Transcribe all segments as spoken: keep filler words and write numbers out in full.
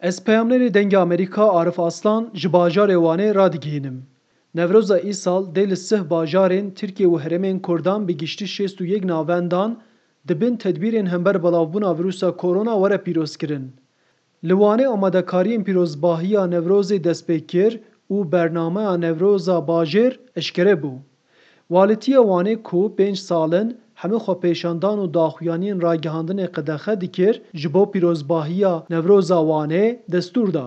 Ez peyamnerê Dengê Amerîka Arif Aslan ji bajarê Wanê radigihînim. Newroza îsal dê li sih bajarên Tirkiye û herêmên Kurdan bi giştî şêst û yek navendan di bin tedbîrên hember belavbûna vîrusa korona were pîrozkirin. Li Wanê amadekariyên pîrozbahiya Newrozê dest pê kir û bernameya Newroza bajêr eşkere bû. Walîtiya Wanê ku pênc sal in hemû xwepêşandan û daxuyaniyên ragihandinê qedexe dikir, ji bo pîrozbahiya Newroza Wanê destûr da.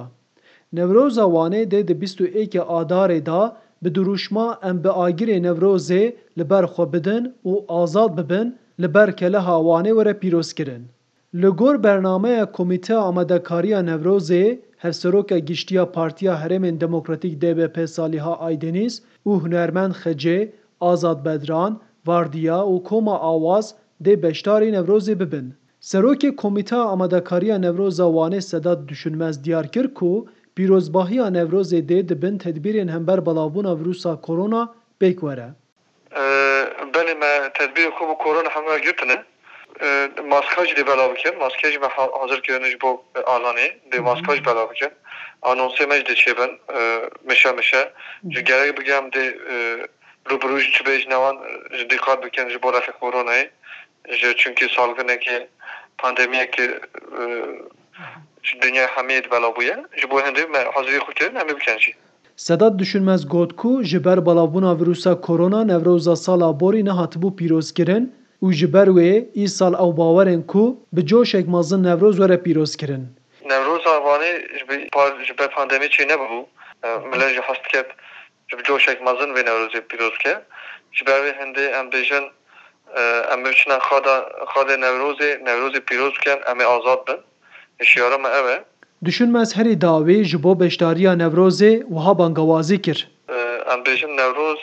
Newroza Wanê dê di bîst û êkê Adarê de bi dirûşma Em bi agirê Newrozê li ber xwe bidin û azad bibin, li ber keleha Wanê were pîrozkirin. Li gor bernameya Komîteya Amadekariya Newrozê, Hevseroka Giştî ya Partiya Herêmên Demokratîk D B P Saliha Aydeniz û hunermend Xecê, Azad Bedran, Vardiya û Koma Awaz dê beşdarî Newrozê bibin. Serokê Komîteya Amadekariya Newroza Wanê Sedat Düşünmez diyar kir ku pîrozbahiya Newrozê dê di bin tedbîrên hember belavbûna vîrusa korona pêk were. Ee, Belê, me tedbîrê xwe bi korona hemû girtine. Ee, maska jî dê belav bikin. Maske jî me ha-, hazir kirine ji bo, e, alanê. Dê maska jî belav bikin. Anonsê me jî dê çêbin, e, mişe mişe. Ji gerek bigem dê, e, rûbirû ji çi bê ji newan, e, ji dîqat bikin ji bo refê koronayê. Ji, çunkî salginekê, pandemiyekê, e, ji dinyayê hemiyê di bela bûye. Ji bo hindê me hazirî xwe kirin, em ê bikin jî. Sedat Düşünmez got ku ji ber belavbûna vîrusa korona Newroza sala borî nehatibû pîrozkirin û ji ber wê îsal ew bawer in ku bi coşek mezin Newroz were pîrozkirin. Newroza Wanê ji bi-, par-, ji ber pandemî çê nebûbû. E, millet jî hez diket ji bi coşek mezin vê Newrozê pîroz bike. Ji ber vê hindê em bêjin, e, em biçine xada, xadê Newrozê, Newrozê pîroz bikin, em ê azad bin. Hişyara me ev e. Düşünmez herî dawî ji bo beşdariya Newrozê wiha bangawazî kir. Em bêjin Newroz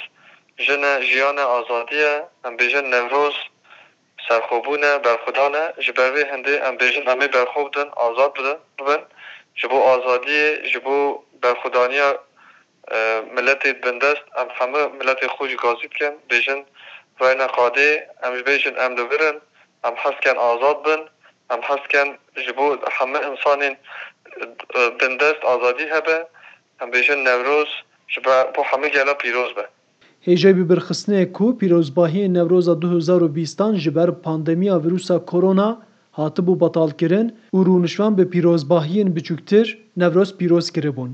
jin e, jiyan e, azadî ye. Em bêjin Newroz serxwebûn e, berxwedan e. Ji ber vê hindê em bêjin em ê berxwe bidin, azad bidin, bibin. Ji bo azadiyê, ji bo berxwedaniya, e, miletê bindest, em hemû miletê xwe jî gazî dikin, bêjin reyne qadê, em jî bêjin em li vir in, em hez dikin azad bin, em hez dikin ji bo hemû insanên, e, bindest azadî hebe, em bêjin Newroz ji be-, bo hemû gela pîroz be. Hêjayî bibirxistinê ku pîrozbahiyên Newroza du hezar û bîstan ji ber pandemiya vîrusa korona hatibû betalkirin û rûniştvan bi pîrozbahiyên biçûktir Newroz pîroz kiribûn.